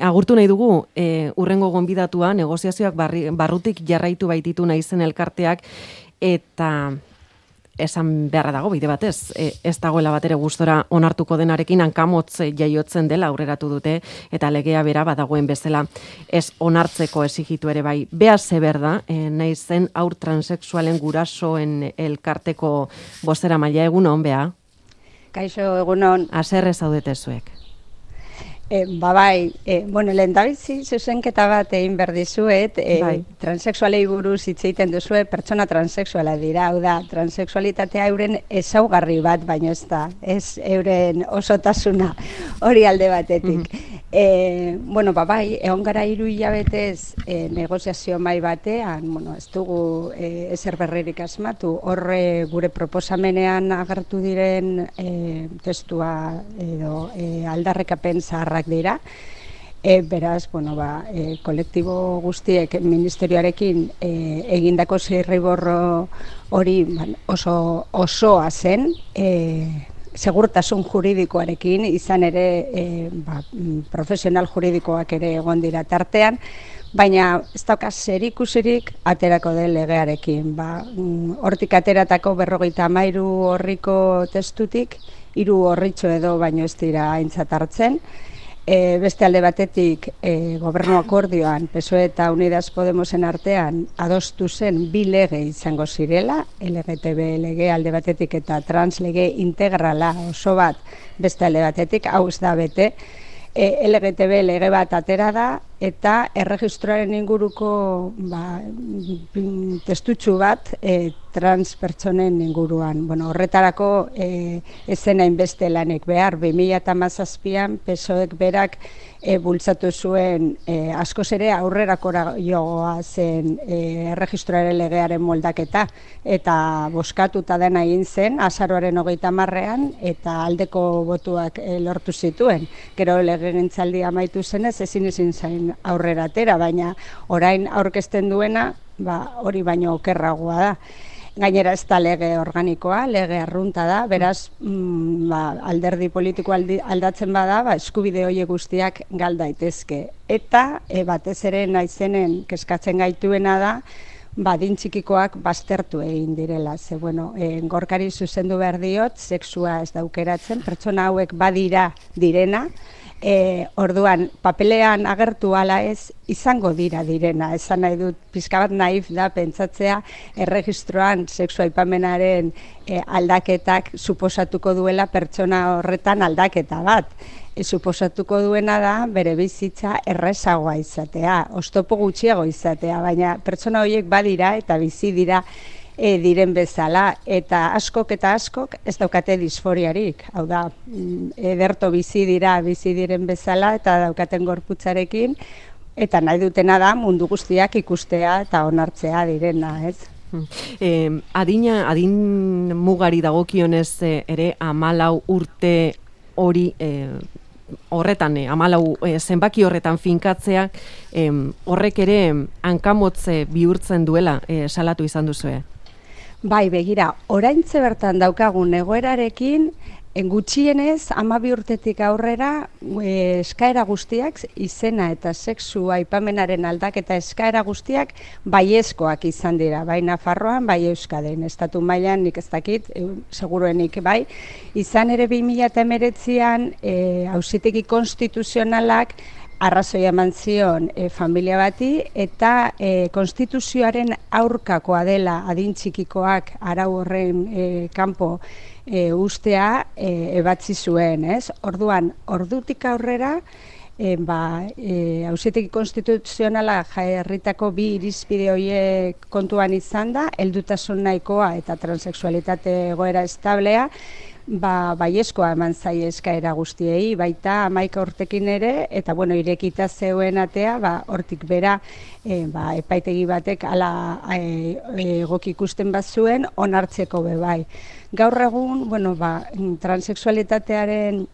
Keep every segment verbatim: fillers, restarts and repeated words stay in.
agurtu nahi dugu, e, urrengo gonbidatua, negoziazioak barri, barrutik jarraitu baititu naizen elkarteak, eta esan beharra dago, bide batez, e, ez dagoela batere gustora onartuko denarekin hankamotz jaiotzen dela aurreratu dute, eta legea bera badagoen bezala ez onartzeko exigitu ere bai. Bea Zeber da, e, nahi zen haur transexualen gurasoen elkarteko bozera maila. Egunon, Bea? Kaixo, egunon. Haserre zaudete zuek. E, ba bai, e, bueno, lehendabizi zuzenketa bat egin behar dizuet, e, bai. transexualei buruz hitz egiten duzue, pertsona transexuala dira, hau da, transexualitatea euren ezaugarri bat, baino ez da, ez euren osotasuna hori alde batetik. Mm-hmm. e, bueno, ba bai, egon gara hiru hilabetez e, negoziazio mai batean, bueno, ez dugu e, ezer berririk asmatu, horre gure proposamenean agertu diren e, testua edo e, aldarrekapen zaharra dira. E, beraz, bueno, ba, e, kolektibo guztiek ministerioarekin e, egindako zirriborro hori ban, oso osoa zen, e, segurtasun juridikoarekin, izan ere e, ba, profesional juridikoak ere egon dira tartean, baina ez dauka zerikusirik aterako den legearekin. Ba, hortik ateratako berrogeita hamairu orriko testutik, hiru orritxo edo baino ez dira aintzat hartzen. E, beste alde batetik e, gobernu akordioan P S O E eta Unidas Podemosen artean adostu zen bi lege izango zirela, L G T B lege alde batetik eta trans lege integrala oso bat beste alde batetik, hau ez da bete. E, L G T B lege bat atera da eta erregistroaren inguruko ba, testutxu bat e, trans pertsonen inguruan. Bueno, horretarako e, ezen hainbeste lanek behar, bi mila hamazazpian P S O Ek berak e, bultzatu zuen e, askoz ere aurrerakora joa zen e, erregistroaren legearen moldaketa, eta boskatuta dena egin zen azaroaren hogeita hamarrean eta aldeko botuak e, lortu zituen. Gero legegintzaldia amaitu zenez ezin ezin zain aurrera atera, baina orain aurkezten duena ba, hori baino okerragoa da. Gainera ez da lege organikoa, lege arrunta da, beraz mm, ba, alderdi politiko aldi, aldatzen bada, ba, eskubide horiek guztiak gal daitezke. Eta e, batez ere naizenen kezkatzen gaituena da, ba, adin txikikoak baztertu egin direla. Ze, bueno, e, gorkari zuzendu behar diot, sexua ez daukeratzen, pertsona hauek badira direna, E, orduan, papelean agertu ala ez, izango dira direna. Esan nahi dut, pixka bat naif da pentsatzea erregistroan sexu aipamenaren e, aldaketak suposatuko duela pertsona horretan aldaketa bat. E, suposatuko duena da bere bizitza errezagoa izatea, oztopo gutxiago izatea, baina pertsona horiek badira eta bizi dira E, diren bezala, eta askok eta askok ez daukate disforiarik. Hau da, ederto bizi dira, bizi diren bezala, eta daukaten gorputzarekin, eta nahi dutena da mundu guztiak ikustea eta onartzea direna, ez? Eh, adina, adin mugari dagokionez ere hamalau urte hori eh, horretan, eh, hamalau eh, zenbaki horretan finkatzea, eh, horrek ere hankamotze bihurtzen duela eh, salatu izan duzue. Bai, begira, oraintze bertan daukagun egoerarekin, gutxienez, hamabi urtetik aurrera, e, eskaera guztiak, izena eta sexu aipamenaren aldaketa eskaera guztiak baiezkoak izan dira, bai Nafarroan, bai Euskadin, estatu mailan nik ez dakit, e, seguruenik bai, izan ere bi mila hemeretzian e, auzitegi konstituzionalak arrazoia eman zion e, familia bati, eta e, konstituzioaren aurkakoa dela adin txikikoak arau horren e, kanpo e, ustea e, ebatzi zuen, ez? Orduan, ordutik aurrera, e, ba, e, auzitegi konstituzionala jarritako bi irizpide horiek kontuan izan da, heldutasun nahikoa eta transexualitate egoera establea, ba, baiezkoa eman zaie eskaera guztiei, baita hamaika urtekin ere, eta bueno, irekita zeuen atea, ba, hortik bera e, ba, epaitegi batek ala e, egoki ikusten bat zuen, onartzeko be bai. Gaur egun, bueno, ba, transexualitatearen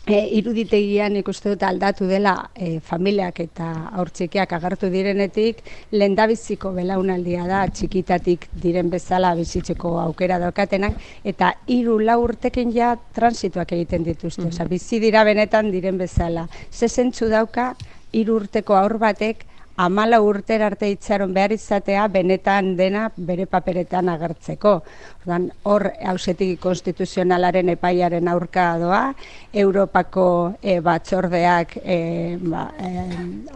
E, iruditegian ikuste dut aldatu dela e, familiak eta haurtxikiak agertu direnetik, lehendabiziko belaunaldia da txikitatik diren bezala bizitzeko aukera daukatenak, eta hiru lau urtekin ja transituak egiten dituzte, mm-hmm. Osa, bizi dira benetan diren bezala. Ze zentzu dauka hiru urteko haur batek hamala urtera arte itxaron behar izatea benetan dena bere paperetan agertzeko. Ordan hor auzitegi konstituzionalaren epaiaren aurka doa, Europako e, batzordeak e, ba, e,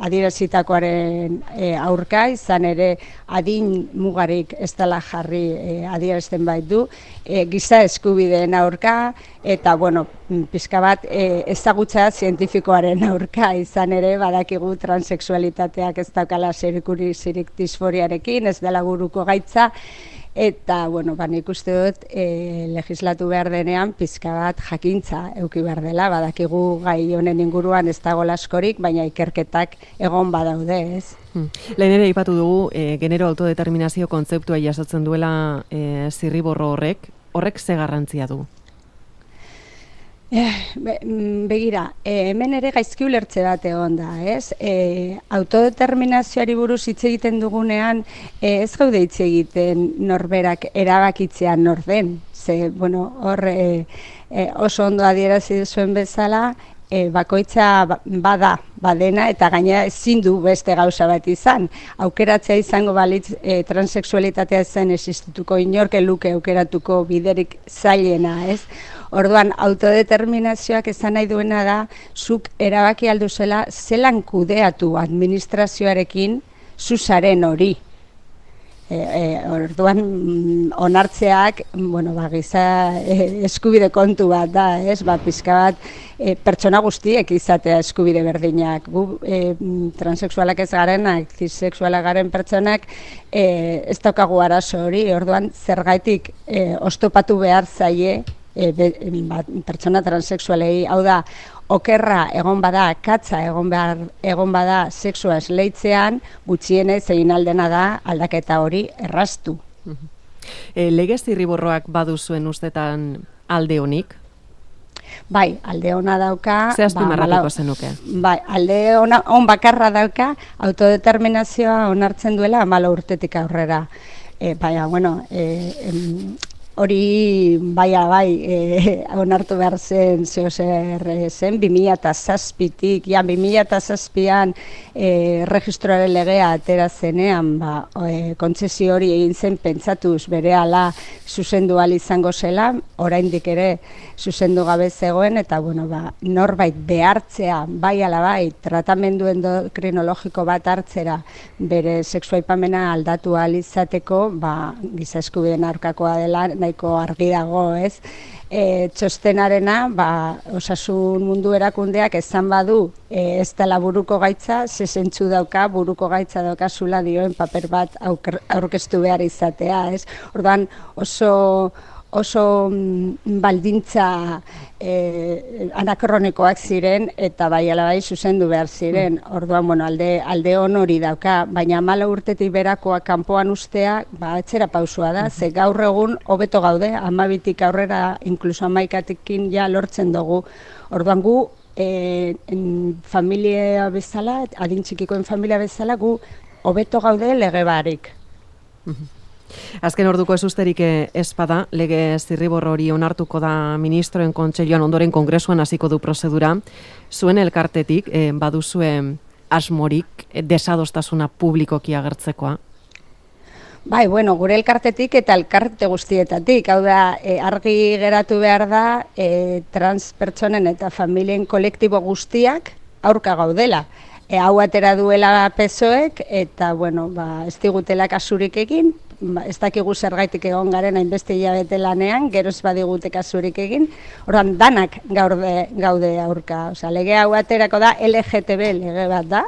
adierazitakoaren e, aurka, izan ere adin mugarik ez dela jarri e, adierazten baitu, e, giza eskubideen aurka, eta bueno, pixka bat e, ezagutza zientifikoaren aurka, izan ere badakigu transexualitateak ez daukala zerikusirik disforiarekin, ez dela buruko gaitza, eta, bueno, ba, nik uste dut e, legislatu behar denean pizka bat jakintza euki behar dela, badakigu gai honen inguruan ez dago askorik, baina ikerketak egon badaude, ez? Hmm. Lehen ere aipatu dugu, e, genero autodeterminazio kontzeptua jasotzen duela e, zirriborro horrek, horrek ze garrantzia du? Eh, be, begira, eh, hemen ere gaizki ulertze bat egon da, ez? Eh, autodeterminazioari buruz hitz egiten dugunean, eh, ez gaude hitz egiten norberak erabakitzean nor den. Ze, bueno, hor eh, eh, oso ondo adierazi zuen bezala, E, bakoitza bada, badena, eta gainera ezin du beste gauza bat izan. Aukeratzea izango balitz e, transexualitatea zen existituko inorke luke aukeratuko biderik zailena, ez? Orduan, autodeterminazioak esan nahi duena da, zuk erabaki alduzela zelan kudeatu administrazioarekin zuzaren hori. E, e, orduan onartzeak, bueno, ba, giza e, eskubide kontu bat da, ez? Ba, pizka bat e, pertsona guztiek izatea eskubide berdinak. Gu e, transexualak ez garenak, cisexualak garen pertsonak e, ez daukagu arazo hori, orduan zergaitik e, oztopatu behar zaie e, be, ba, pertsona transexualei, hau da, okerra egon bada, katza egon behar, egon bada sexua esleitzean, gutxienez egin aldena da aldaketa hori erraztu. E, Legez zirriborroak baduzuen ustetan alde honik? Bai, alde ona dauka. Ze azpimarratuko zenuke? Bai, alde ona, on bakarra dauka, autodeterminazioa onartzen duela hamala urtetik aurrera. E, baina, bueno, e, em, hori baia bai e, onartu behar zen zeo zer zen, bi mila zazpitik, ja, bi mila zazpian e, registroaren legea atera zenean, ba, e, kontzesio hori egin zen pentsatuz berehala zuzendu ahal izango zela, oraindik ere zuzendu gabe zegoen, eta bueno, ba, norbait behartzea, bai ala bai, tratamendu endokrinologiko bat hartzera bere sexuaipamena aldatu ahal izateko, ba, giza eskubideen aurkakoa dela, nahiko argi dago, ez? E, txostenarena, ba, osasun mundu erakundeak esan badu, e, ez dela buruko gaitza, ze zentzu dauka, buruko gaitza daukazula dioen paper bat aurkeztu behar izatea, ez? Orduan oso oso baldintza eh, anakronikoak ziren eta bai ala bai zuzendu behar ziren. Orduan, bueno, alde, alde on hori dauka, baina hamala urtetik berakoa kanpoan ustea, ba, etxera pausua da, ze gaur egun hobeto gaude, hamabitik aurrera, inkluso hamaikatikin ja lortzen dugu. Orduan gu, eh, en familia bezala, adin txikikoen familia bezala, gu hobeto gaude lege barik. Azken orduko ez usterik ez bada, lege zirriborro hori onartuko da ministroen kontseiluan ondoren kongresuan hasiko du prozedura. Zuen elkartetik eh, baduzue asmorik eh, desadostasuna publikoki agertzekoa? Bai, bueno, gure elkartetik eta elkarte guztietatik. Hau da, e, argi geratu behar da e, trans pertsonen eta familien kolektibo guztiak aurka gaudela. E, hau atera duela P S O Ek eta, bueno, ba, ez digutela kasurik egin, ba, ez dakigu zergaitik egon garen hainbeste hilabete lanean, geroz badigute kasurik egin, orduan danak gaude, gaude aurka. Osea, lege hau aterako da L G T B lege bat da,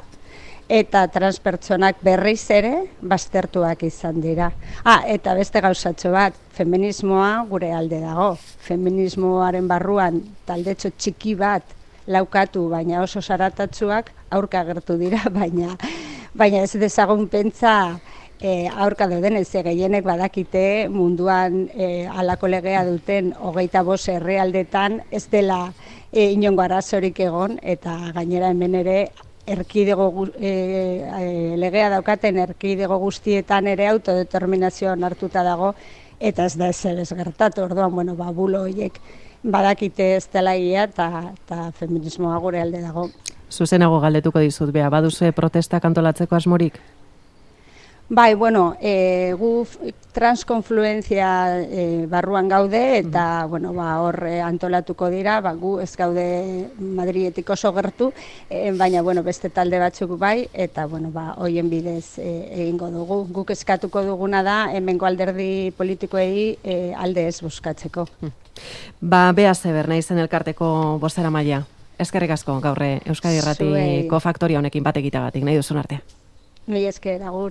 eta transpertsonak berriz ere baztertuak izan dira. Ah, eta beste gauzatxo bat, feminismoa gure alde dago. Feminismoaren barruan taldetxo txiki bat laukatu, baina oso zaratatsuak aurka agertu dira, baina baina ez dezagun pentsa e, aurka dauden, ez gehienek badakite munduan e, halako legea duten hogeita bost herrialdetan ez dela e, inongo arazorik egon, eta gainera hemen ere erkidego e, e, legea daukaten erkidego guztietan ere autodeterminazioa onartuta dago, eta ez da ez ez gertatu. Orduan, bueno, ba, bulo horiek badakite ez dela egia eta, eta feminismoa gure alde dago. Zuzenago galdetuko dizut, bea, baduzue protestak antolatzeko asmorik? Bai, bueno, e, gu transkonfluentzia e, barruan gaude eta, mm. bueno, ba, hor antolatuko dira, ba, gu ez gaude Madridetik oso gertu, e, baina, bueno, beste talde batzuk bai, eta, bueno, ba, hoien bidez e, egingo dugu. Guk eskatuko duguna da, hemengo alderdi politikoei e, alde ez buskatzeko. Ba, Bea Zeber, naizen elkarteko bozera maila. Eskerrik asko gaurre Euskadi Irratiko faktoria honekin bat egitagatik, nahi duzun arte. Mila esker, agur.